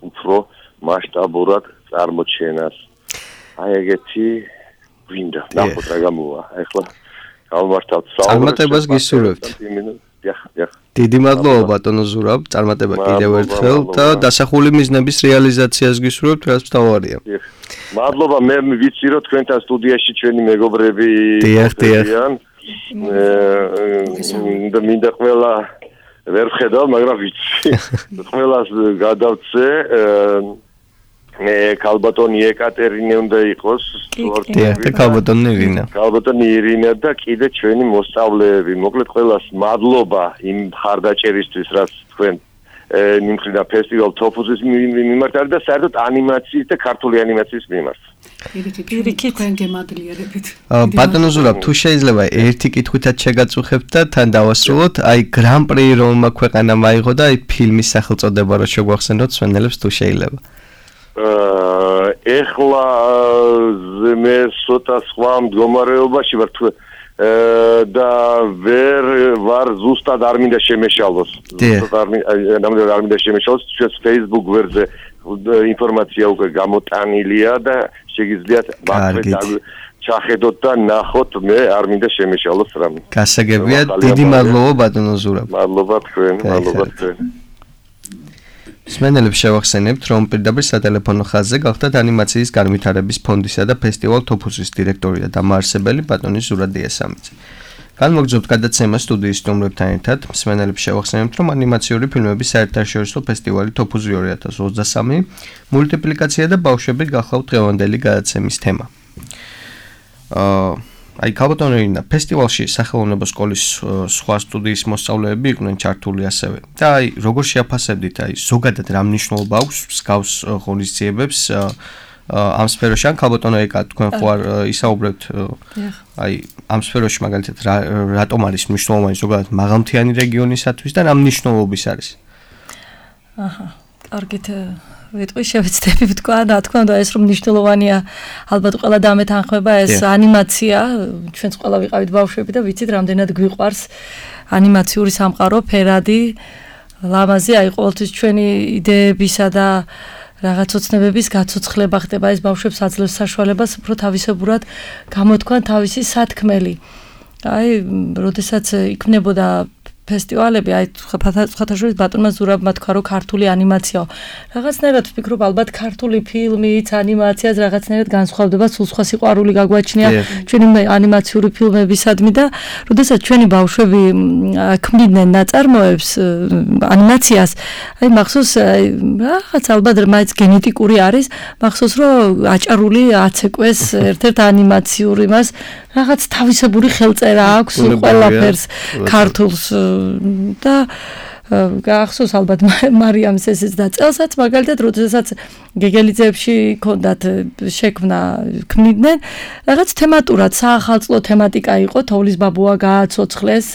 უფრო მასშტაბურად წარმოჩენას. აი ეგეთი გვინდა. ნახოთ რა გამოვა. ახლა გავმართავთ წარმატებას გისურვებთ. დიდი მადლობა ბატონო ზურაბ, წარმატება კიდევ ერთხელ და დასახული მიზნების რეალიზაციას გისურვებთ, რაც მთავარია. მადლობა, მე ვიცი რომ თქვენთან სტუდიაში ჩვენი მეგობრები დიახ. და მინდა ყველა ვერ ვხედავ, მაგრამ ვიცი. ყველას გადავწე ქალბატონი ეკატერინე უნდა იყოს სპორტივი. ქალბატონი ირინა და კიდე ჩვენი მოსწავლეები. მოკლედ ყველას მადლობა იმ მხარდაჭერისთვის, რაც თქვენ მიმხრიდან ფესტივალ თოფუზის მიმართ და საერთოდ ანიმაციის და ქართული ანიმაციის მიმართ. პირიქით თქვენ გემადლიერებით. ბატონო ზურაბ, თუ შეიძლება ერთი კითხვითაც შეგაწუხებთ და თან დავასრულოთ, აი გრან-პრი რომმა ქვეყანამ აიღო და აი ფილმის სახელწოდება რო შეგვახსენოთ სვენელებს თუ შეიძლება. ეხლა მე ცოტა სხვა მდგომარეობაში ვარ და ვერ ვარ ზუსტად არ მინდა შემეშალოს. ზუსტად არ მინდა შემეშალოს, ჩვენს Facebook გვერდზე ინფორმაცია უკვე გამოტანილია და შეგიძლიათ ჩახედოთ და ნახოთ, მე არ მინდა შემეშალოს რამე. გასაგებია, დიდი მადლობა ბატონო ზურაბ. მადლობა თქვენ. სმენელებს შევახსენებთ, რომ პირდაპირ სატელეფონო ხაზზე გახდათ ანიმაციის განვითარების ფონდისა და ფესტივალ თოფუსის დირექტორი და დამაარსებელი ბატონი ზურაბ დიასამიძე. განმოგრძობთ გადაცემა სტუდიის სტუმრებთან ერთად. სმენელებს შევახსენებთ, რომ ანიმაციური ფილმების საერთაშორისო ფესტივალი თოფუზი 2023 მულტიპლიკაცია და ბავშვები გახლავთ დღევანდელი გადაცემის თემა. აი ქალბატონი ფესტივალში სახელოვნებო სკოლის სხვა სტუდიის მოსწავლეები იყვნენ ჩართული ასევე. და აი როგორ შეაფასებდით აი ზოგადად რა მნიშვნელობა აქვს მსგავს ღონისძიებებს ამ სფეროში? ან ქალბატონო ეკა თქვენ ხო არ ისაუბრებთ აი ამ სფეროში მაგალითად რატომ არის მნიშვნელოვანი ზოგადად მაღალმთიანი რეგიონისათვის და რა მნიშვნელობის არის? კარგით ვიტყვი შევეცდები ვთქვა და თქვა და ეს რომ მნიშვნელოვანია ალბათ ყველა დამეთანხმება ეს ანიმაცია ჩვენც ყველა ვიყავით ბავშვები და ვიცით რამდენად გვიყვარს ანიმაციური სამყარო ფერადი ლამაზი აი ყოველთვის ჩვენი იდეებისა და რაღაც ოცნებების გაცოცხლება ხდება ეს ბავშვებს აძლევს საშუალებას უფრო თავისებურად გამოთქვან თავისი სათქმელი აი როდესაც იქნებოდა ფესტივალები, აი ხათაშორის ბატონმა ზურაბმა თქვა, რომ ქართული ანიმაციაო. რაღაცნაირად ვფიქრობ, ალბათ ქართული ფილმიც, ანიმაციაც რაღაცნაირად განსხვავდება, სულ სხვა სიყვარული გაგვაჩნია ჩვენი ანიმაციური ფილმებისადმი და როდესაც ჩვენი ბავშვები ქმნიდნენ ნაწარმოებს, ანიმაციას, აი მახსოვს რაღაც ალბათ მაინც გენეტიკური არის, მახსოვს რომ აჭარული აცეკვეს ერთ-ერთ ანიმაციურ იმას რაღაც თავისებური ხელწერა აქვს ყველაფერს ქართულს და გახსოვს ალბათ მარიამს ესეც და წელსაც მაგალითად როდესაც გეგელიძეებში ქონდათ შექმნა ქმნიდნენ რაღაც თემატურად საახალწლო თემატიკა იყო თოვლის ბაბუა გააცოცხლეს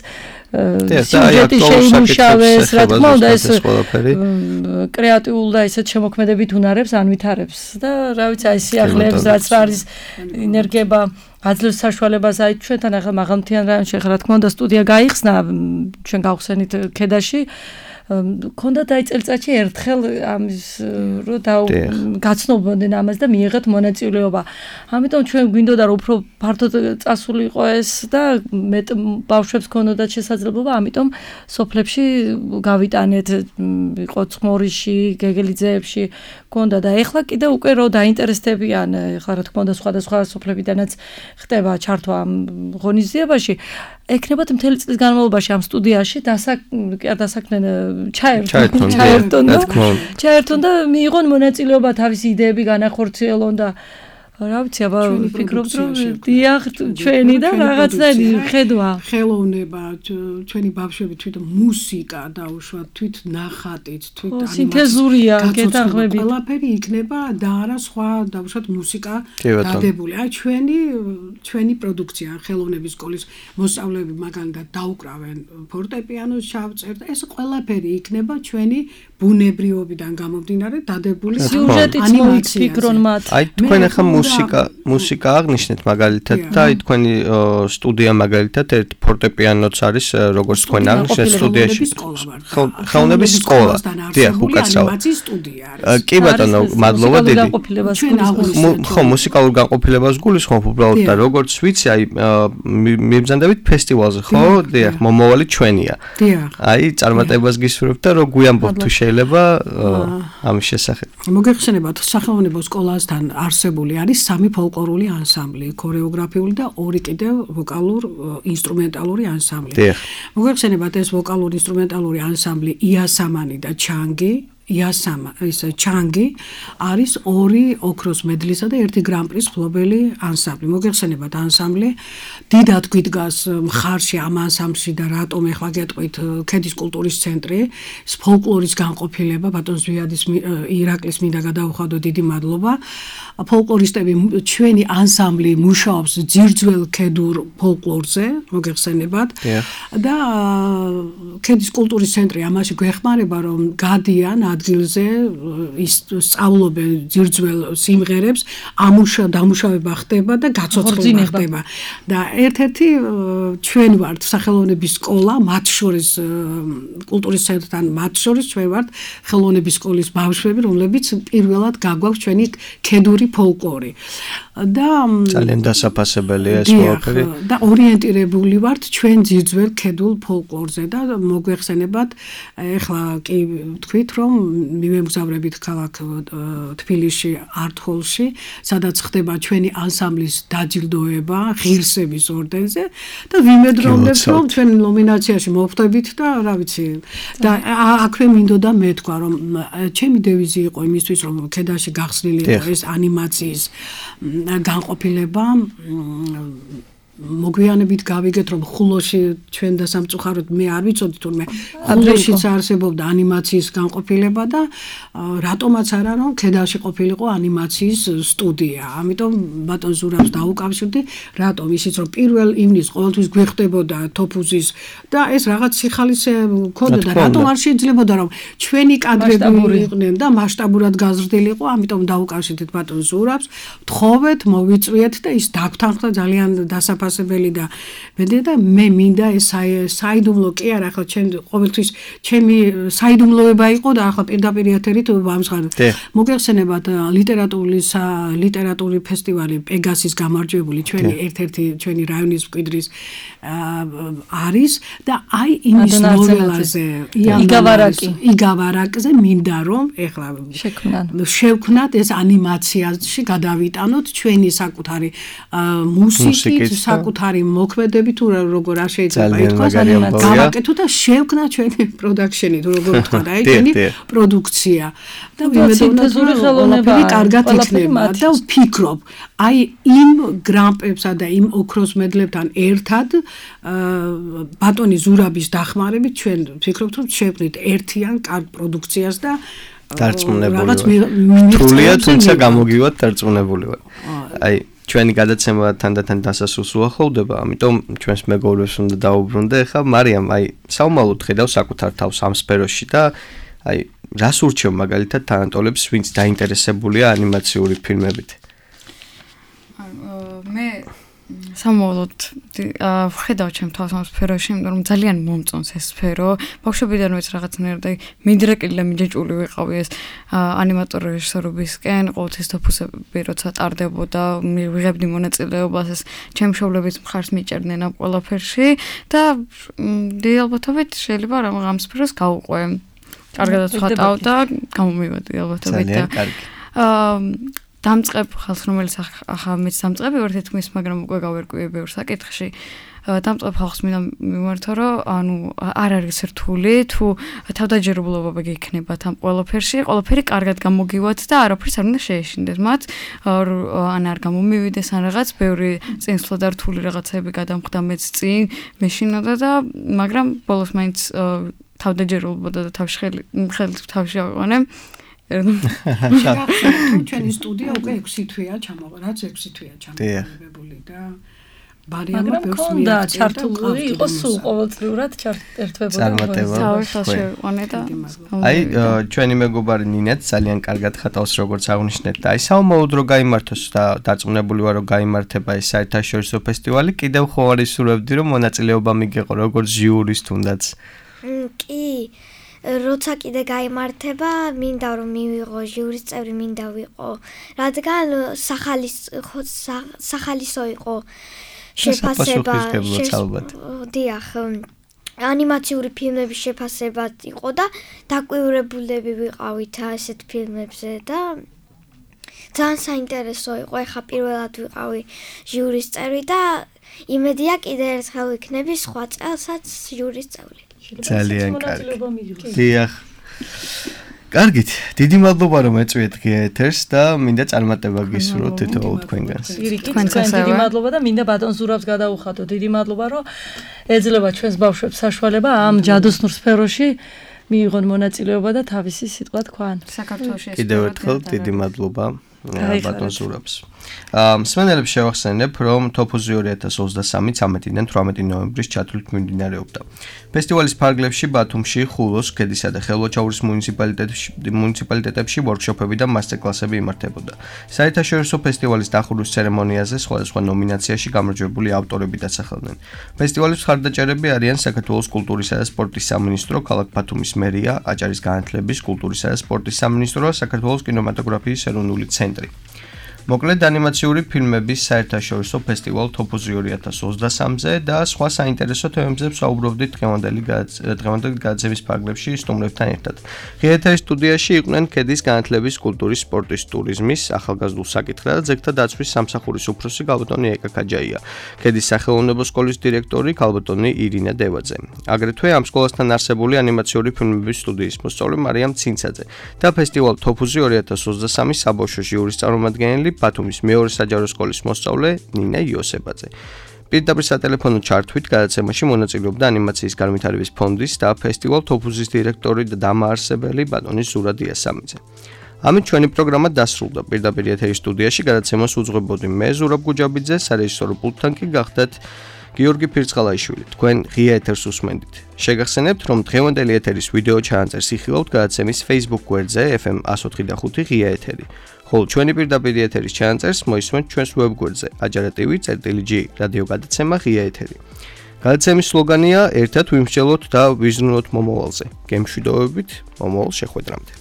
სიუჟეტი შეიმუშავეს რა თქმა უნდა ეს კრეატიულ და ესეთ შემოქმედებით უნარებს ანვითარებს და რა ვიცი აი სიახლეებს რაც არის ინერგება აძლევს საშუალებას აი ჩვენთან ახლა მაღალმთიან რაიონში ახლა რა თქმა უნდა სტუდია გაიხსნა ჩვენ გავხსენით ქედაში ქონდათ აი წელიწადში ერთხელ ამის რო გაცნობდნენ ამას და მიიღეთ მონაწილეობა. ამიტომ ჩვენ გვინდოდა რომ უფრო ფართოდ წასულიყო ეს და მეტ ბავშვებს ქონოდათ შესაძლებლობა, ამიტომ სოფლებში გავიტანეთ, იყო ცხმორიში, გეგელიძეებში ქონდა და ეხლა კიდე უკვე რო დაინტერესდებიან, ეხლა რა თქმა უნდა სხვადასხვა სოფლებიდანაც ხდება ჩართვა ამ ღონისძიებაში. ეკნებათ მთელი წლის განმავლობაში ამ სტუდიაში დასაქმდნენ ჩაერთონ და მიიღონ მონაწილეობა თავისი იდეები განახორციელონ და რა ვიცი, აბა ვფიქრობთ რომ დიახ ჩვენი და რაღაცნაირი ხედვა ხელოვნება ჩვენი ბავშვები თვით მუსიკა დაუშვათ თვით ნახატით თვით სინთეზურია გეთანხმებით ყველაფერი იქნება და არა სხვა დაუშვათ მუსიკა დადებული აი ჩვენი პროდუქცია ხელოვნების სკოლის მოსწავლეები მაგალითად დაუკრავენ ფორტეპიანოს ჩავწერთ ეს ყველაფერი იქნება ჩვენი ბუნებრიობიდან გამომდინარე დადებული სიუჟეტიც მოიფიქრონ მათ აი თქვენ ახლა მუსიკა აღნიშნეთ მაგალითად და აი თქვენი სტუდია მაგალითად ერთ ფორტეპიანოც არის როგორც თქვენ აღნიშნეთ სტუდიაში ხელოვნების სკოლა დიახ უკაცრავად კი ბატონო მადლობა დიდი ხო მუსიკალურ განყოფილებას გულისხმობ უბრალოდ და როგორც ვიცი აი მიბრძანდებით ფესტივალზე ხო დიახ მომავალი ჩვენია აი წარმატებას გისურვებთ და რო გვიამბობთ თუ შეიძლება ამის შესახებ მოგეხსენებათ სახელმწიფო სკოლასთან არსებული არის სამი ფოლკლორული ანსამბლი, ქორეოგრაფიული და ორი კიდევ ვოკალურ ინსტრუმენტალური ანსამბლი. მოგეხსენებათ ეს ვოკალურ ინსტრუმენტალური ანსამბლი იასამანი და ჩანგი ჩანგი არის ორი ოქროს მედლისა და ერთი გრან-პრის მფლობელი ანსამბლი. მოგეხსენებათ ანსამბლი დიდად გვიდგას მხარში ამ ანსამბლში და რატომ ეხლა გეტყვით ქედის კულტურის ცენტრი ფოლკლორის განყოფილება ბატონ ზვიადის ირაკლის მინდა გადავუხადო დიდი მადლობა. ფოლკლორისტები ჩვენი ანსამბლი მუშაობს ძირძველ ქედურ ფოლკლორზე მოგეხსენებათ და ქედის კულტურის ცენტრი ამაში გვეხმარება რომ გადიან ადგილზე სწავლობენ ძირძველ სიმღერებს დამუშავება ხდება და გაცოცხლება ხდება და ერთ-ერთი ჩვენ ვართ სახელოვნების სკოლა მათ შორის კულტურის ცენტრთან მათ შორის ჩვენ ვართ ხელოვნების სკოლის ბავშვები რომლებიც პირველად გაგვაქვს ჩვენი ქედური ფოლკლორი და ძალიან დასაფასებელია ეს ყველაფერი და ორიენტირებული ვართ ჩვენ ძირძველ ქედულ ფოლკლორზე და მოგვეხსენებათ ეხლა კი თქვით რომ მივემგზავრებით ქალაქ თბილისში არტ-ჰოლში სადაც ხდება ჩვენი ანსამბლის დაჯილდოება ღირსების ორდენზე და ვიმედროვნებთ რომ ჩვენ ნომინაციაში მოვხვდებით და რა ვიცი და აქვე მინდოდა მეთქვა რომ ჩემი დევიზი იყო იმისთვის რომ ქედაში გახსნილი იყო ეს ანიმაციის განყოფილება მოგვიანებით გავიგეთ რომ ხულოში ჩვენ და სამწუხაროდ მე არ ვიცოდი თურმე ხულოშიც არსებობდა ანიმაციის განყოფილება და რატომაც არა რომ ქედაში ყოფილიყო ანიმაციის სტუდია ამიტომ ბატონ ზურაბს დაუკავშირდი რატომ ისიც რომ პირველ ივნის ყოველთვის გვეხდებოდა თოფუზის და ეს რაღაც სიხალისე ქონდა და რატომ არ შეიძლებოდა რომ ჩვენი კადრები იყვნენ და მასშტაბურად გაზრდილიყო ამიტომ დაუკავშირდით ბატონ ზურაბს თხოვეთ მოვიწვიეთ და ის დაგვთანხმდა ძალიან დასაფასებელი შეფასებელი და მედია და მე მინდა ეს საიდუმლო კი არა, ახლა ყოველთვის ჩემი საიდუმლოება იყო და ახლა პირდაპირ ეთერით ვამსხარებ. მოგეხსენებათ ლიტერატურული ფესტივალი პეგასის გამარჯვებული ჩვენი ერთ-ერთი ჩვენი რაიონის მკვიდრის არის და აი იმის ნოველაზე იგავარაკზე მინდა რომ ეხლა შევქნათ ეს ანიმაციაში გადავიტანოთ ჩვენი საკუთარი მუსიკით, საკუთარი მოქმედებით თუ როგორ არ შეიძლება ითქვას, გავაკეთოთ და შევქნათ ჩვენი პროდაქშენი თუ როგორ ვთქვა და აი ჩვენი პროდუქცია და ვიმედოვნოთ რომ ყველაფერი კარგად იქნება და ვფიქრობ აი იმ გრამპებსა და იმ ოქროს მედლებთან ერთად ბატონი ზურაბის დახმარებით ჩვენ ვფიქრობთ რომ შევქნით ერთიან კარგ პროდუქციას და დარწმუნებული ვარ. თუმცა გამოგივათ დარწმუნებული ვარ. აი ჩვენი გადაცემა თანდათან დასასრულს უახლოვდება, ამიტომ ჩვენს მეგობრებს უნდა დაუბრუნდე. ახლა მარიამ, აი საომალოდ ხედავ საკუთარ თავს ამ სფეროში და აი რას ურჩევ მაგალითად თანატოლებს, ვინც დაინტერესებულია ანიმაციური ფილმებით? მე სამოვალოდ ვხედავ ჩემ თავს ამ სფეროში, იმიტომ რომ ძალიან მომწონს ეს სფერო. ბავშვობიდანვეც რაღაცნაირად მიდრეკილი და მიჯაჭვული ვიყავი ეს ანიმატორი რეჟისორობისკენ, ყოველთვის თოფუსები როცა ტარდებოდა, ვიღებდი მონაწილეობას, ეს ჩემ მშობლებიც მხარს მიჭერდნენ ამ ყველაფერში და დიდი ალბათობით შეიძლება ამ სფეროს გავუყვე. კარგადაც ვხატავ და გამომივედი ალბათობით და დამწყებ ხალხს, რომელიც ახლა მეც დამწყები ვარ თითქმის, მაგრამ უკვე გავერკვიე ბევრ საკითხში. დამწყებ ხალხს მინდა მიმართო, რომ ანუ არ არის რთული, თუ თავდაჯერებლობა გექნებათ ამ ყველაფერში, ყველაფერი კარგად გამოგივათ და არაფერს არ უნდა შეეშინდეთ მათ, ან არ გამომივიდეს ან რაღაც, ბევრი წინსვლა და რთული რაღაცები გადამხდა მეც წინ, მეშინოდა და მაგრამ ბოლოს მაინც თავდაჯერებლობა და თავში ავიყვანე. ჩვენი სტუდია უკვე 6 თვეა ჩამოყალიბებული, რაც 6 თვეა ჩამოყალიბებული და ბარიამა ბევრს მიერდა ჩართული იყო სულ ყოველწლიურად ერთვებოდა. აი ჩვენი მეგობარი ნინაც ძალიან კარგად ხატავს როგორც აღნიშნეთ და აი საომალოდ რო გაიმართოს და დარწმუნებული ვარ რომ გაიმართება ეს საერთაშორისო ფესტივალი, კიდევ ხო არის სურვებდი რომ მონაწილეობა მიგეყო როგორც ჟიურის თუნდაც. კი როცა კიდე გაიმართება, მინდა რომ მივიღო ჟიურის წევრი, მინდა ვიყო, რადგან სახალისო იყო შეფასება, დიახ, ანიმაციური ფილმების შეფასება იყო და დაკვირვებულები ვიყავით ასეთ ფილმებზე და ძალიან საინტერესო იყო, ეხლა პირველად ვიყავი ჟიურის წევრი და იმედია კიდე ერთხელ ვიქნები სხვა წელსაც ჟიურის წევრი. ძალიან კარგი. დიახ. კარგით, დიდი მადლობა რომ ეწვიეთ ღია ეთერს და მინდა წარმატება გისურვოთ თითოეულ თქვენგანს. დიდი მადლობა და მინდა ბატონ ზურაბს გადაუხადო. დიდი მადლობა რომ ეძლევა ჩვენს ბავშვებს საშუალება ამ ჯადოსნურ სფეროში მიიღონ მონაწილეობა და თავისი სიტყვა თქვან. საქართველოში ეს კიდევ ერთხელ დიდი მადლობა ბატონ ზურაბს. მსმენელებს შევახსენებ, რომ თოფუზი 2023 13-დან 18 ნოემბრის ჩათვლით მიმდინარეობდა. ფესტივალის ფარგლებში ბათუმში, ხულოს, ქედისა და ხელვაჩაურის მუნიციპალიტეტებში ვორქშოპები და მასტერკლასები იმართებოდა. საერთაშორისო ფესტივალის დახურვის ცერემონიაზე სხვადასხვა ნომინაციაში გამარჯვებული ავტორები დასახელდნენ. ფესტივალის მხარდაჭერები არიან საქართველოს კულტურისა და სპორტის სამინისტრო, ქალაქ ბათუმის მერია, აჭარის განათლების, კულტურისა და სპორტის სამინისტრო და საქართველოს კინემატოგრაფიის ეროვნული ცენტრი. მოკლედ ანიმაციური ფილმების საერთაშორისო ფესტივალ თოფუზი 2023-ზე და სხვა საინტერესო თემებზე ვსაუბრობდით დღევანდელი გადაცემის ფარგლებში სტუმრებთან ერთად. ღია ეთერის სტუდიაში იყვნენ ქედის განათლების, კულტურის, სპორტის, ტურიზმის, ახალგაზრდულ საკითხთა და ძეგლთა დაცვის სამსახურის უფროსი გალბატონი ეკა ქაჯაია, ქედის სახელოვნებო სკოლის დირექტორი გალბატონი ირინა დევაძე. აგრეთვე ამ სკოლასთან არსებული ანიმაციური ფილმების სტუდიის მოსწავლე მარიამ ცინცაძე და ფესტივალ თოფუზი 2023 საბავშვო ჟიურის წარმომადგენელი ბათუმის მეორე საჯარო სკოლის მოსწავლე ნინა იოსებაძე. პირდაპირ სატელეფონო ჩართვით გადაცემაში მონაწილეობდა ანიმაციის განვითარების ფონდის და ფესტივალ თოფუზის დირექტორი და დამაარსებელი ბატონი ზურა დიასამიძე. ამით ჩვენი პროგრამა დასრულდა. პირდაპირ ეთერის სტუდიაში გადაცემას უძღვებოდი მე ზურაბ გუჯაბიძე, სარეჟისორო პულტთან კი გახდათ გიორგი ფირცხალაიშვილი. თქვენ ღია ეთერს უსმენდით. შეგახსენებთ, რომ დღევანდელი ეთერის ვიდეო ჩანაწერს იხილავთ გადაცემის Facebook გვერდზე FM 104.5 ღია ეთერი. ხოლო ჩვენი პირდაპირ ეთერის ჩანაწერს მოისმენთ ჩვენს ვებგვერდზე ajarativi.g რადიო გადაცემა ღია ეთერი. გადაცემის სლოგანია ერთად ვიმსჯელოთ და ვიზრუნოთ მომავალზე. გემშვიდობებით, მომავალ შეხვედრამდე.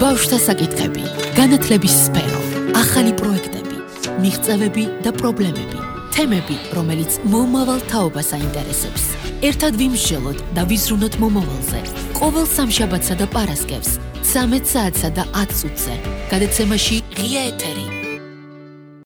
ბავშვთა საკითხები, განათლების სფერო, ახალი პროექტები, მიღწევები და პრობლემები, თემები, რომელიც მომავალ თაობას აინტერესებს. ერთად ვიმსჯელოთ და ვიზრუნოთ მომავალზე. ყოველ სამშაბათსა და პარასკევს 13 საათსა და 10 წუთზე. გადაცემაში ღია ეთერი.